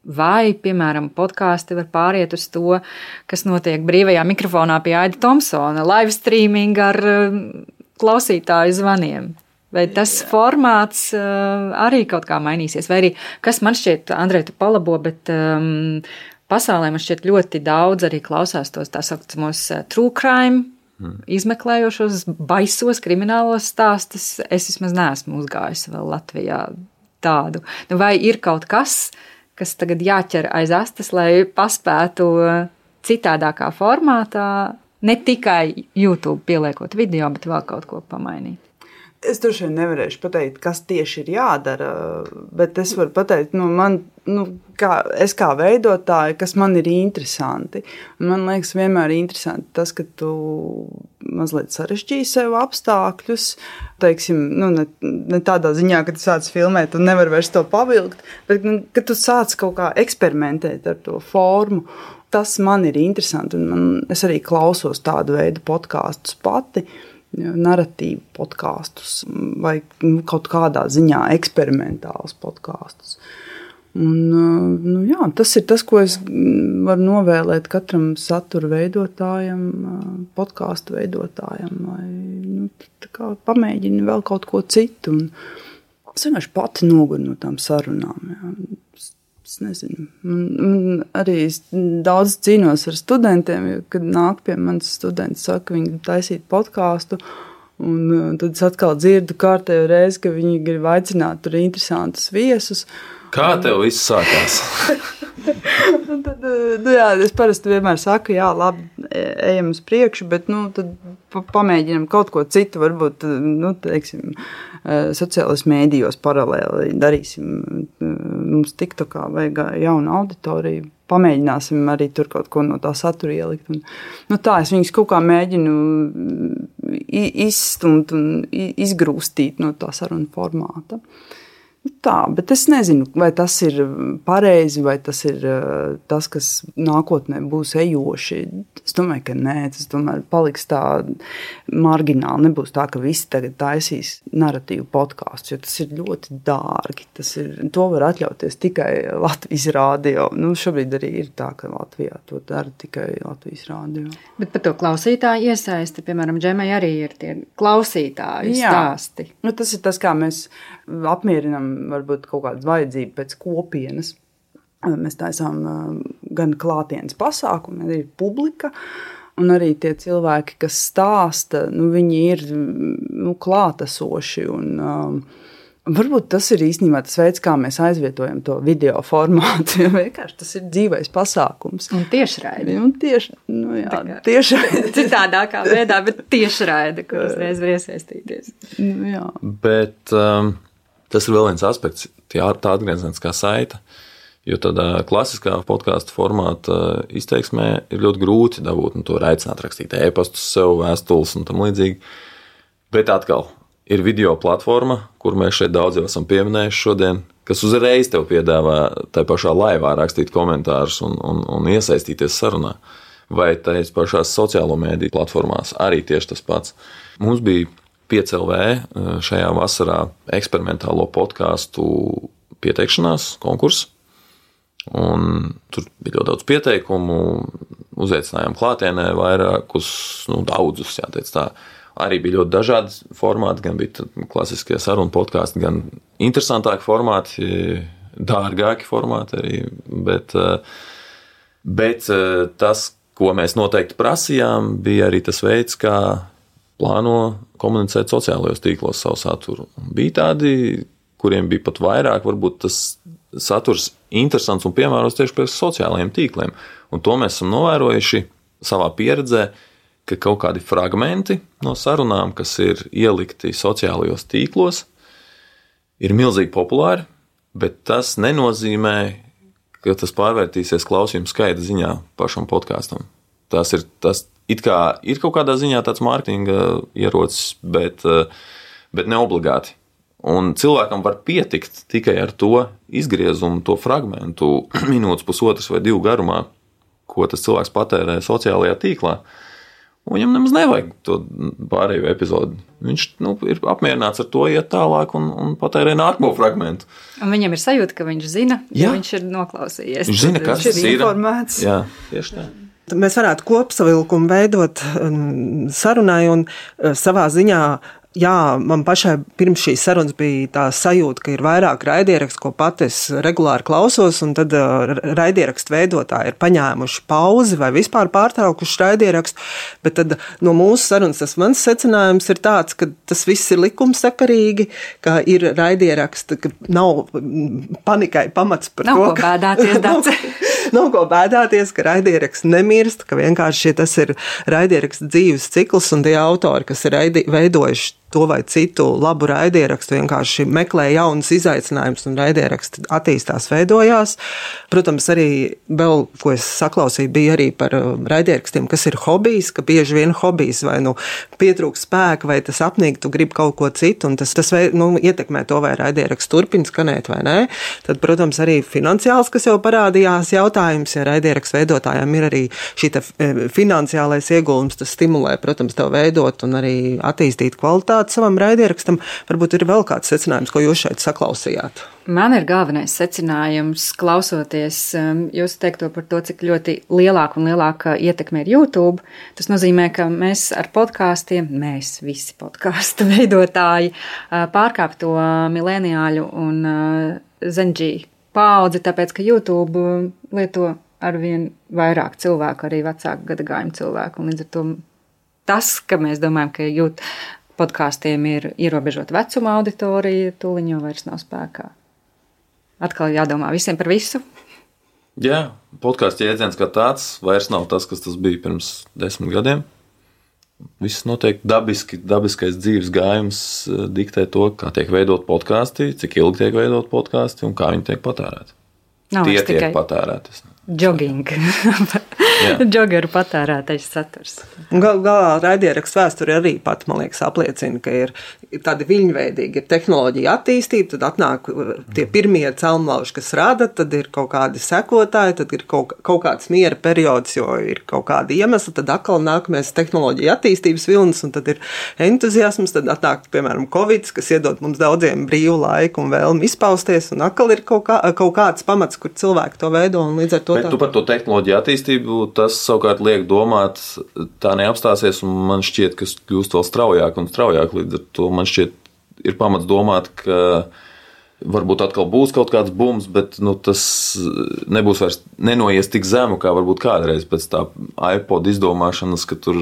Vai, piemēram, podkāsti var pāriet uz to, kas notiek brīvajā mikrofonā pie Aida Tomsona, live streaming ar klausītāju zvaniem. Vai tas formāts arī kaut kā mainīsies? Vai arī, kas man šķiet, Andrej, tu palabo, bet pasaulē man šķiet ļoti daudz arī klausās tos tā saucamos true crime, izmeklējošos, baisos, kriminālos stāstus. Es vismaz neesmu uzgājusi vēl Latvijā tādu. Vai ir kaut kas tagad jāķer aiz astes, lai paspētu citādākā formātā, ne tikai YouTube pieliekot video, bet vēl kaut ko pamainīt? Es droši vien nevarēšu pateikt, kas tieši ir jādara, bet es varu pateikt, es kā veidotāja, kas man ir interesanti. Man liekas, vienmēr interesanti tas, ka tu mazliet sarežģīji sev apstākļus, teiksim, ne tādā ziņā, ka tu sāc filmēt un nevar vairs to pavilkt, bet ka tu sāc kaut kā eksperimentēt ar to formu. Tas man ir interesanti, un es arī klausos tādu veidu podkastus pati, narratīvu podkastus vai kaut kādā ziņā eksperimentālus podkastus. Un, tas ir tas, ko es varu novēlēt katram satura veidotājam, podkastu veidotājam, lai pamēģini vēl kaut ko citu. Un es vienkārši pati noguru no tām sarunām. Jā. Es nezinu. Man arī daudz cīnos ar studentiem, jo, kad nāk pie manis studenti saka, ka viņi taisīt podkāstu, un tad es atkal dzirdu kārtējo reizi, ka viņi grib aicināt tur interesantus viesus. Kā tev viss sākās? Tad, jā, es parasti vienmēr saku, jā, labi, ejam uz priekšu, bet tad pamēģinam kaut ko citu, varbūt, teiksim, sociālajos mēdījos paralēli darīsim. Mums TikTokā vajag jaunu auditoriju, pamēģināsim arī tur kaut ko no tā satura ielikt. Un, tā, es viņus kaut kā mēģinu izstumt un izgrūstīt no tā saruna formāta. Tā, bet es nezinu, vai tas ir pareizi, vai tas ir tas, kas nākotnē būs ejoši. Es domāju, ka nē, tas tomēr paliks tā margināli. Nebūs tā, ka visi tagad taisīs narratīvu podkāstu, jo tas ir ļoti dārgi. To var atļauties tikai Latvijas radio. Šobrīd arī ir tā, ka Latvijā to dara tikai Latvijas radio. Bet par to klausītāju iesaisti, piemēram, Džemai arī ir tie klausītāju stāsti. Tas ir tas, kā mēs apmierinām varbūt kaut kādu vajadzību pēc kopienas. Mēs taisām gan klātienes pasākumu, arī publika, un arī tie cilvēki, kas stāsta, viņi ir klātesoši. Un, varbūt tas ir īstenībā tas veids, kā mēs aizvietojam to video formātu. Vienkārši tas ir dzīvais pasākums. Un tiešraidi. Tiešraidi. Citādākā veidā, bet tiešraidi, kur uzreiz var iesaistīties. Jā. Bet tas ir vēl viens aspekts, tā atgriezeniskā saite, jo tādā klasiskā podkāstu formāta izteiksmē ir ļoti grūti dabūt, to var aicināt rakstīt e-pastus sev, vēstules un tam līdzīgi. Bet atkal ir video platforma, kur mēs šeit daudz jau esam pieminējuši šodien, kas uzreiz tev piedāvā tai pašā laivā rakstīt komentārus un iesaistīties sarunā. Vai tais pašās sociālo mēdīju platformās arī tieši tas pats. Mums bija 5LV šajā vasarā eksperimentālo podkāstu pieteikšanās konkurss. Un tur bija ļoti daudz pieteikumu, uzaicinājām klātienē vairākus, daudzus, jāteic tā. Arī bija ļoti dažādi formāti, gan bija klasiskie sarunu podkāsti, gan interesantāki formāti, dārgāki formāti arī, bet tas, ko mēs noteikti prasījām, bija arī tas veids, kā plāno komunicēt sociālajos tīklos savu saturu. Bija tādi, kuriem bija pat vairāk, varbūt tas saturs interesants un piemērots tieši pēc sociālajiem tīkliem. Un to mēs esam novērojuši savā pieredzē, ka kaut kādi fragmenti no sarunām, kas ir ielikti sociālajos tīklos, ir milzīgi populāri, bet tas nenozīmē, ka tas pārvērtīsies klausījuma skaita ziņā pašam podkāstam. Tas it kā ir kaut kādā ziņā tāds mārketinga ierocis, bet ne obligāti. Un cilvēkam var pietikt tikai ar to izgriezumu, to fragmentu minūtes, pusotras vai 2 garumā, ko tas cilvēks patērē sociālajā tīklā. Un viņam nemaz nevajag to pārējo epizodi. Viņš ir apmierināts ar to, iet tālāk un patērē nākamo fragmentu. Un viņam ir sajūta, ka viņš zina, ja viņš ir noklausījies. Viņš zina, kas tas ir. Informēts. Jā, tieši tā. Mēs varētu kopsavilkumu veidot sarunai un savā ziņā. Jā, man pašai pirms šīs sarunas bija tā sajūta, ka ir vairāk raidierakstu, ko pat es regulāri klausos, un tad raidierakstu veidotāji ir paņēmuši pauzi vai vispār pārtraukuši raidierakstu, bet tad no mūsu sarunas tas mans secinājums ir tāds, ka tas viss ir likumsakarīgi, ka ir raidieraksti, ka nav panikai pamats par nav to, ko bēdāties, Dace. Nav ko bēdāties, ka raidieraksts nemirst, ka vienkārši tas ir raidieraksts dzīves cikls, un tie autori, kas ir veidojuši to vai citu labu raidierakstu, vienkārši meklē jaunas izaicinājumus, un raidieraksti attīstās, veidojās. Protams, arī vēl, ko es saklausīju, bija arī par raidierakstiem, kas ir hobijs, ka bieži vien hobijs vai pietrūkst spēka, vai tas apnīk, tu gribi kaut ko citu, un tas ietekmē to, vai raidieraksts turpina skanēt vai nē. Tad, protams, arī finansiāls, kas jau parādījās jautājums, ja raidieraksts veidotājiem ir arī šī finansiālais ieguldījums, tas stimulē, protams, tev veidot un arī attīstīt kvalitāti savam raidierakstam. Varbūt ir vēl kāds secinājums, ko jūs šeit saklausījāt? Man ir galvenais secinājums, klausoties jūs teikto par to, cik ļoti lielāka un lielāka ietekme ir YouTube. Tas nozīmē, ka mēs ar podkāstiem, mēs visi podkāstu veidotāji, pārkāp to mileniāļu un Zenģī paudzi, tāpēc, ka YouTube lieto arvien vairāk cilvēku, arī vecāku gadagājumu cilvēku. Un līdz ar to tas, ka mēs domājam, ka podkāstiem ir ierobežota vecuma auditorija, tūliņ jau vairs nav spēkā. Atkal jādomā visiem par visu. Jā, podkāstu jēdziens kā tāds vairs nav tas, kas tas bija pirms 10 gadiem. Viss notiek dabiski, dabiskais dzīves gājums diktē to, kā tiek veidot podkāsti, cik ilgi tiek veidot podkāsti un kā viņi tiek patērēti. Tie tiek patērēti. Jogging. Joggeru patērētais saturs. Galā raidierakstu vēsture arī pat, man liekas, apliecina, ka ir tādi viļņveidīgi, ir tehnoloģija attīstība, tad atnāk tie pirmie celmlauži, kas rada, tad ir kaut kādi sekotāji, tad ir kaut kāds miera periods, jo ir kaut kādi iemesli, tad atkal nākamais tehnoloģija attīstības vilnis, un tad ir entuziasms, tad atnāk, piemēram, Covid, kas iedod mums daudziem brīvu laiku un vēlmi izpausties, un atkal ir kaut kāds pamats, kur cilvēki to veido, un līdz ar to. Bet tu par to tehnoloģiju attīstību, tas savukārt liek domāt, tā neapstāsies, un man šķiet, ka kļūst vēl straujāk un straujāk, līdz ar to man šķiet ir pamats domāt, ka varbūt atkal būs kaut kāds bums, bet tas nebūs vairs nenoies tik zemu, kā varbūt kādreiz pēc tā iPod izdomāšanas, ka tur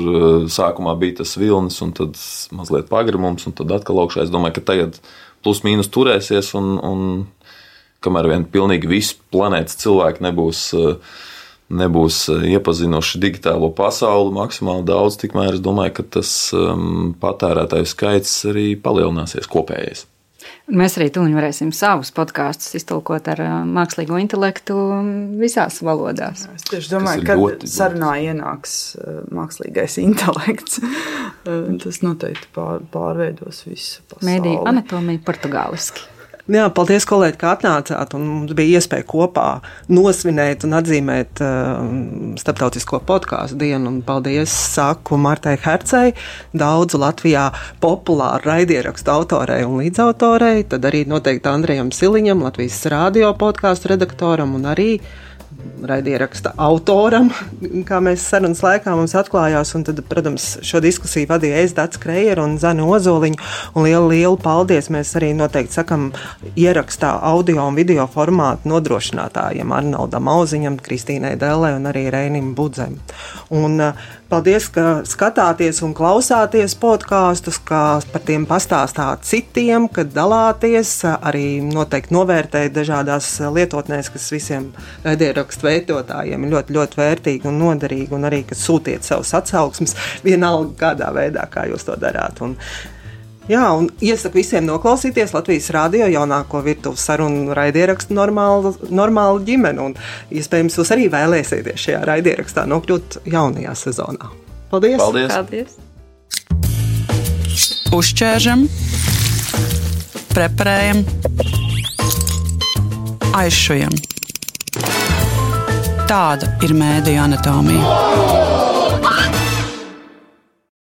sākumā bija tas vilnis un tad mazliet pagrimums un tad atkal augšā. Es domāju, ka tagad plus mīnus turēsies un kamēr vien pilnīgi visi planētas cilvēki nebūs iepazinuši digitālo pasauli maksimāli daudz, tikmēr es domāju, ka tas patērētāju skaits arī palielināsies kopējais. Mēs arī tūlīt varēsim savus podkāstus iztulkot ar mākslīgo intelektu visās valodās. Es tieši domāju, kad sarunā ienāks mākslīgais intelekts, tas noteikti pārveidos visu pasauli. Mēdīju anatomija portugāliski. Jā, paldies, kolēģi, ka atnācāt, un mums bija iespēja kopā nosvinēt un atzīmēt starptautisko podkāstu dienu, un paldies saku Martai Hercei, daudzu Latvijā populāru raidierakstu autorei un līdzautorei, tad arī noteikti Andrejam Siliņam, Latvijas radio podkāstu redaktoram un arī raidieraksta autoram, kā mēs sarunas laikā mums atklājās, un tad, protams, šo diskusiju vadīja Dats Kreieru un Zane Ozoliņu, un lielu paldies mēs arī noteikti sakam ierakstā audio un video formātu nodrošinātājiem Arnoldam Auziņam, Kristīnai Dellē un arī Reinim Budzem. Un paldies, ka skatāties un klausāties podkāstus, ka par tiem pastāstāt citiem, ka dalāties, arī noteikti novērtēt dažādās lietotnēs, kas visiem raidierakstu veidotājiem ir ļoti, ļoti vērtīgi un noderīgi, un arī, ka sūtiet savus atsauksmes vienalga kādā veidā, kā jūs to darāt. Un iesaku visiem noklausīties Latvijas radio jaunāko virtuves sarunu raidierakstu normālu ģimeni, un iespējams jūs arī vēlēsieties šajā raidierakstā nokļūt jaunajā sezonā. Paldies! Paldies! Uzķēršam, preparējam, aizšujam. Tāda ir mēdīju anatomija.